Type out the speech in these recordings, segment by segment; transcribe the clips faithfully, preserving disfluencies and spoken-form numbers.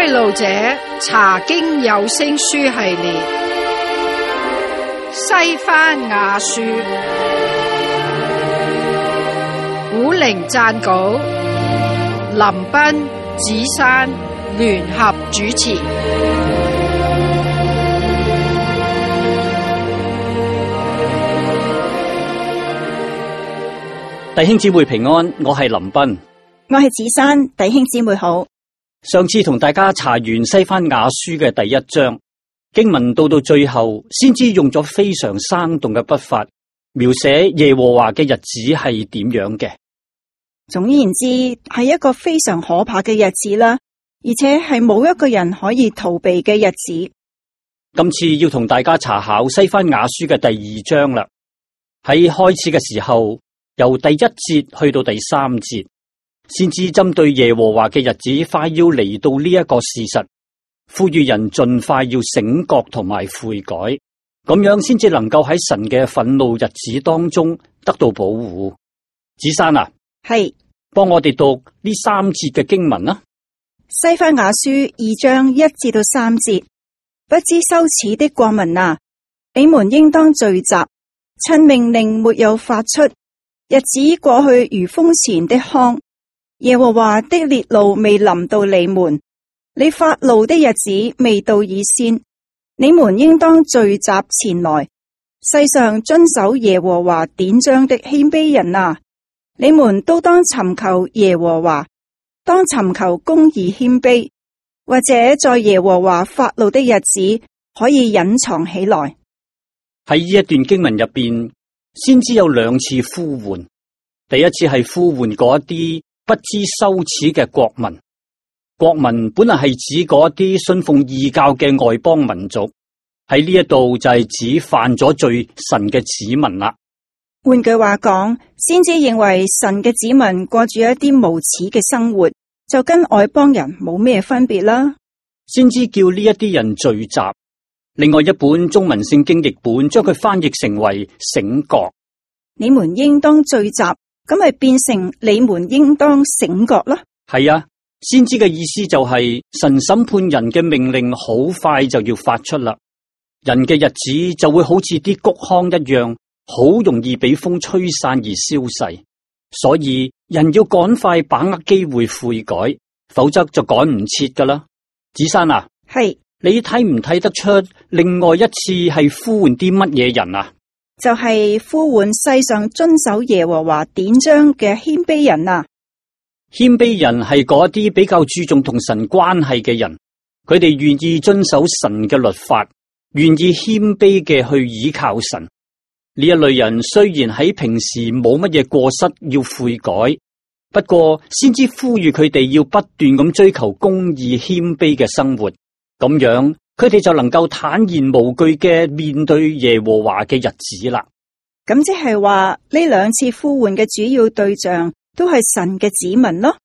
開路者查經有聲書系列，西番雅書，古靈撰稿，林彬、子珊聯合主持。弟兄姊妹平安，我係林彬，我係子珊。弟兄姊妹好。上次同大家查完西番雅書嘅第一章經文，到到最後先知用咗非常生動嘅筆法描寫耶和華嘅日子係點樣嘅。總言之，係一個非常可怕嘅日子啦，而且係冇一個人可以逃避嘅日子。今次要同大家查考西番雅書嘅第二章啦。喺開始嘅時候，由第一節去到第三節，先至針對耶和華嘅日子快要嚟到呢一個事實，呼籲人盡快要醒覺同埋悔改，咁樣先至能夠喺神嘅憤怒日子當中得到保護。子珊啊，係，幫我哋讀呢三節嘅經文啦。西番雅書二章一至到三節，不知羞恥的國民啊，你們應當聚集，趁命令沒有發出，日子過去如風前的糠，耶和華的烈怒未臨到你們，你發怒的日子未到以先，你們應當聚集前來。世上遵守耶和華典章的謙卑人啊，你們都當尋求耶和華，當尋求公義謙卑，或者在耶和華發怒的日子可以隱藏起來。喺呢一段經文入邊，先知有兩次呼喚。第一次係呼喚嗰一啲不知羞恥嘅國民，國民本來係指嗰一啲信奉異教嘅外邦民族，喺呢一度就係指犯咗罪神嘅子民啦。換句話講，先知認為神嘅子民過住一啲無恥嘅生活，就跟外邦人冇咩分別啦。先知叫呢一啲人聚集。另外一本中文聖經譯本將佢翻譯成為醒覺。你們應當聚集，咁咪變成你們應當醒覺啦。係啊，先知嘅意思就係神審判人嘅命令好快就要發出啦，人嘅日子就會好似啲穀糠一樣，好容易俾風吹散而消逝。所以人要趕快把握機會悔改，否則就趕唔切噶啦。子珊啊，係，你睇唔睇得出另外一次係呼喚啲乜嘢人啊？就係呼喚世上遵守耶和華典章嘅謙卑人啊！謙卑人係嗰啲比較注重同神關係嘅人，佢哋願意遵守神嘅律法，願意謙卑嘅去倚靠神。呢一類人雖然喺平時冇乜嘢過失要悔改，不過先知呼籲佢哋要不斷咁追求公義謙卑嘅生活，咁樣佢哋就能夠坦然無懼嘅面對耶和華嘅日子啦。咁即係話呢兩次呼喚嘅主要對象都係神嘅子民咯。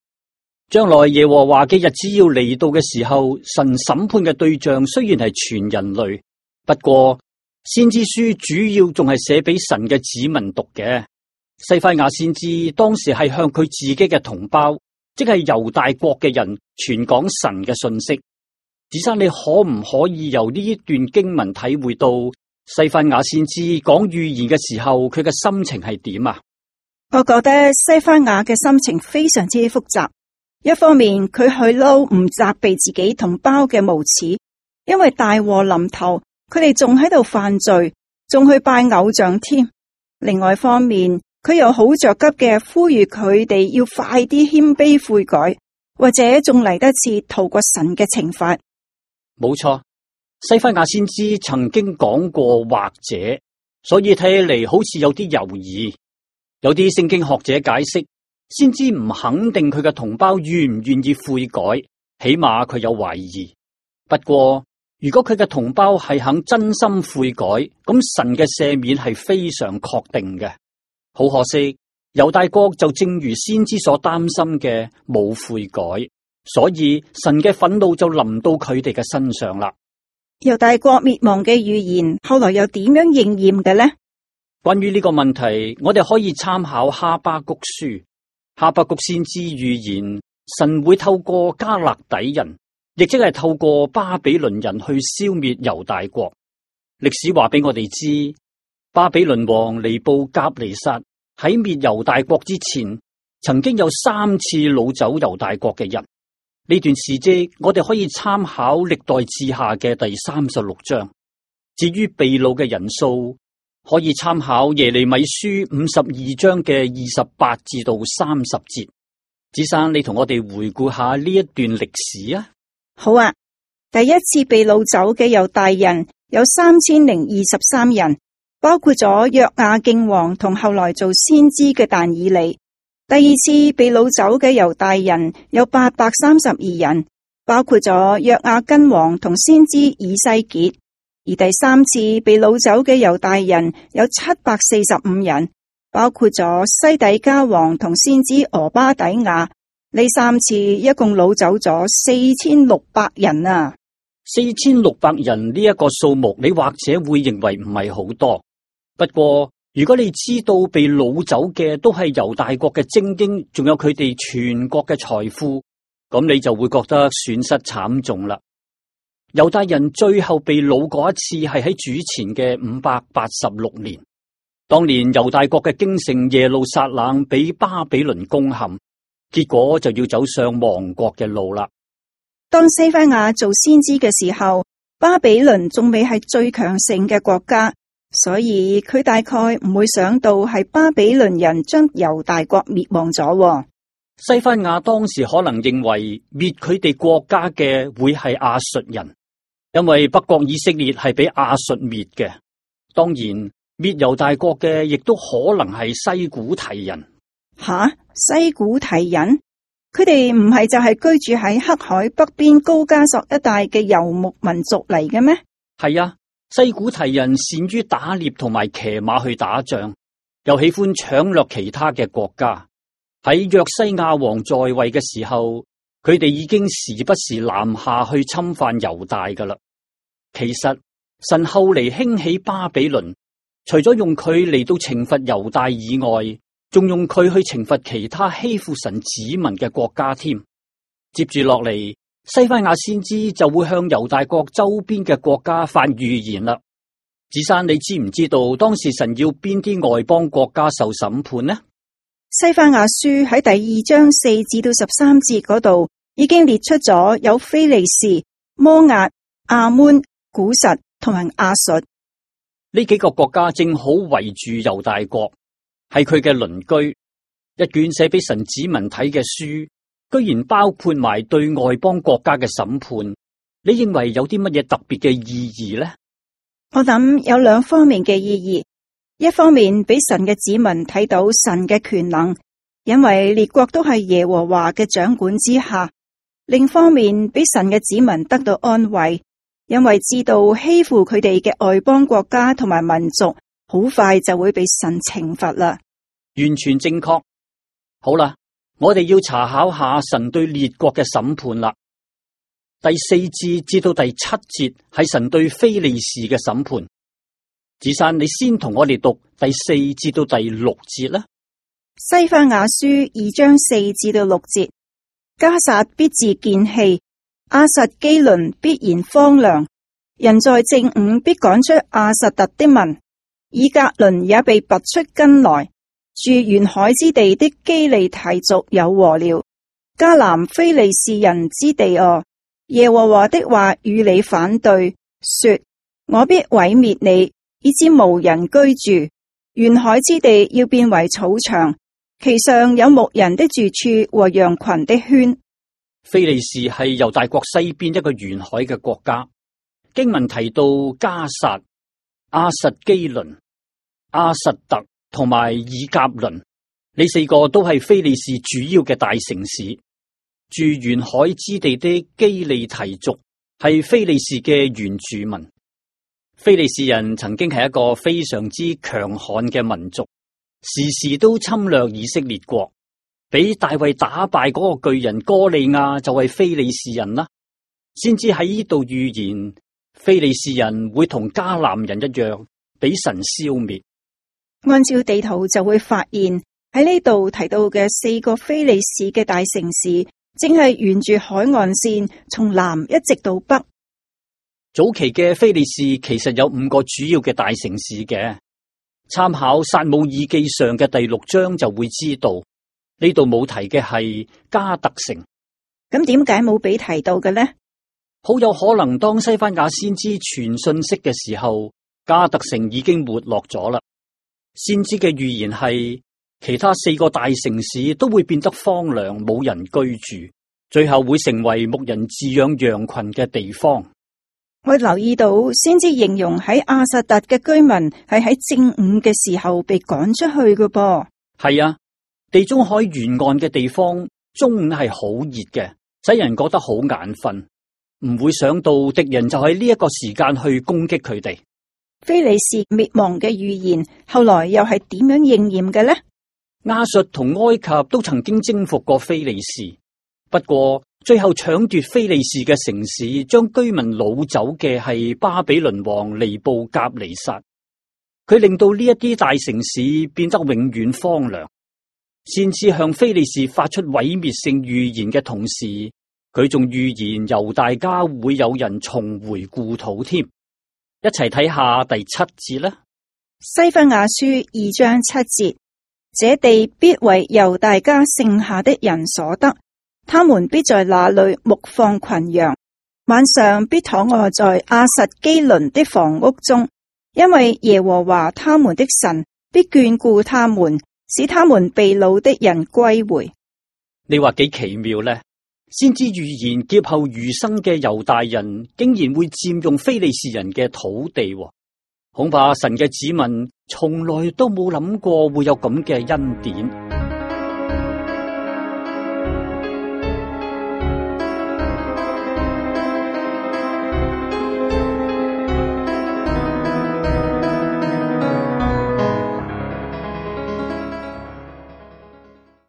將來耶和華嘅日子要嚟到嘅時候，神審判嘅對象雖然係全人類，不過先知書主要仲係寫俾神嘅子民讀嘅。西番雅先知當時係向佢自己嘅同胞，即係猶大國嘅人傳講神嘅信息。子珊，你可唔可以由呢一段經文體會到西番雅先知講預言嘅時候，佢嘅心情係點啊？我覺得西番雅嘅心情非常之複雜。一方面佢去嬲唔責備自己同胞嘅無恥，因為大禍臨頭，佢哋仲喺度犯罪，仲去拜偶像添。另外一方面，佢又好着急嘅呼籲佢哋要快啲謙卑悔改，或者仲嚟得切逃過神嘅懲罰。冇錯，西番雅先知曾經講過或者，所以睇起嚟好似有啲猶豫。有啲聖經學者解釋，先知唔肯定佢嘅同胞願唔願意悔改，起碼佢有懷疑。不過如果佢嘅同胞係肯真心悔改，咁神嘅赦免係非常確定嘅。好可惜，猶大國就正如先知所擔心嘅，冇悔改。所以神嘅憤怒就臨到佢哋嘅身上啦。猶大國滅亡嘅預言後來又點樣應驗嘅呢？關於呢個問題，我哋可以參考哈巴谷書。哈巴谷先知預言神會透過加勒底人，亦即係透過巴比倫人去消滅猶大國。歷史話俾我哋知，巴比倫王尼布甲尼撒喺滅猶大國之前，曾經有三次擄走猶大國嘅人。呢段事跡我哋可以參考歷代志下嘅第三十六章。至於被擄嘅人數，可以參考耶利米書五十二章嘅二十八至到三十節。子生，你同我哋回顧下呢一段歷史啊。好啊，第一次被擄走嘅猶大人有三千零二十三人，包括咗約雅敬王同後來做先知嘅但以理。第二次被擄走嘅猶大人有八百三十二人，包括咗約雅斤王同先知以西結。而第三次被擄走嘅猶大人有七百四十五人，包括咗西底家王同先知俄巴底亞。呢三次一共擄走咗四千六百人啊！四千六百人呢一個數目，你或者會認為唔係好多。不過如果你知道被擄走嘅都係猶大國嘅精英，仲有佢哋全國嘅財富，咁你就會覺得損失慘重啦。猶大人最後被擄嗰一次係喺主前嘅五百八十六年，當年猶大國嘅京城耶路撒冷俾巴比倫攻陷。結果就要走上亡國嘅路啦。當西番雅做先知嘅時候，巴比倫仲未係最強盛嘅國家，所以佢大概唔會想到係巴比倫人將猶大國滅亡咗。西番雅當時可能認為滅佢哋國家嘅會係亞述人，因為北國以色列係俾亞述滅嘅。當然滅猶大國嘅亦都可能係西古提人。吓，西古提人，佢哋唔係就係居住喺黑海北邊高加索一帶嘅游牧民族嚟嘅咩？係啊，西古提人善於打獵同埋騎馬去打仗，又喜歡搶掠其他嘅國家。喺約西亞王在位嘅時候，佢哋已經時不時南下去侵犯猶大噶啦。其實神後嚟興起巴比倫，除咗用佢嚟到懲罰猶大以外，仲用佢去懲罰其他欺負神子民嘅國家添。接住落嚟，西番雅先知就會向猶大國周邊嘅國家發預言啦。子珊，你知唔知道當時神要邊啲外邦國家受審判呢？西番雅書喺第二章四至到十三節嗰度已經列出咗有非利士、摩押、亞捫、古實同埋亞述呢幾個國家，正好圍住猶大國。係佢嘅鄰居。一卷寫俾神子民睇嘅書，居然包括埋對外邦國家嘅審判。你認為有啲乜嘢特別嘅意義呢？我諗有兩方面嘅意義。一方面俾神嘅子民睇到神嘅權能，因為列國都係耶和華嘅掌管之下；另一方面俾神嘅子民得到安慰，因為知道欺負佢哋嘅外邦國家同埋民族，好快就會被神懲罰啦。完全正確。好啦，我哋要查考下神對列國嘅審判啦。第四節至到第七節係神對非利士嘅審判。子珊，你先同我哋讀第四至到第六節啦。西番雅書二章四至到六節，迦薩必自見棄，亞實基倫必然荒涼，人在正午必趕出亞實突的民，以革倫也被拔出根來，住沿海之地的基利提族有禍了。迦南非利士人之地哦，耶和華的話與你反對，說：我必毀滅你，以致無人居住。沿海之地要變為草場，其上有牧人的住處和羊群的圈。非利士係猶大國西邊一個沿海嘅國家。經文提到迦薩、亞實基倫、亞實突同埋以革倫，呢四個都係非利士主要嘅大城市。住沿海之地的基利提族係非利士嘅原住民。非利士人曾經係一個非常之強悍嘅民族，時時都侵略以色列國。俾大衛打敗嗰個巨人哥利亞就係非利士人啦，先至喺呢度預言非利士人會同迦南人一樣俾神消滅。按照地圖就會發現喺呢度提到嘅四個非利士嘅大城市，正係沿住海岸線從南一直到北。早期嘅非利士其實有五個主要嘅大城市嘅，參考撒母耳記上嘅第六章就會知道，呢度冇提嘅係加特城。咁點解冇俾提到嘅呢？好有可能當西番雅先知傳信息嘅時候，加特城已經沒落咗啦。先知嘅預言係其他四個大城市都會變得荒涼，冇人居住，最後會成為牧人飼養羊群嘅地方。我留意到先知形容喺亞實突嘅居民係喺正午嘅時候被趕出去嘅噃。係啊，地中海沿岸嘅地方中午係好熱嘅，使人覺得好眼瞓，唔會想到敵人就喺呢一個時間去攻擊佢哋。非利士滅亡嘅預言後來又係點樣應驗嘅呢？亞述同埃及都曾經征服過非利士，不過最後搶奪非利士嘅城市，將居民擄走嘅係巴比倫王尼布甲尼撒。佢令到呢一啲大城市變得永遠荒涼。先至向非利士發出毀滅性預言嘅同時，佢仲預言猶大家會有人重回故土添。一齊睇下第七節啦。西番雅書二章七節，這地必為猶大家剩下的人所得，他們必在那裏牧放群羊，晚上必躺臥在亞實基倫的房屋中，因為耶和華他們的神必眷顧他們，使他們被擄的人歸回。你話幾奇妙呢？先知預言劫後餘生嘅猶大人竟然會佔用非利士人嘅土地，恐怕神嘅子民從來都冇諗過會有咁嘅恩典。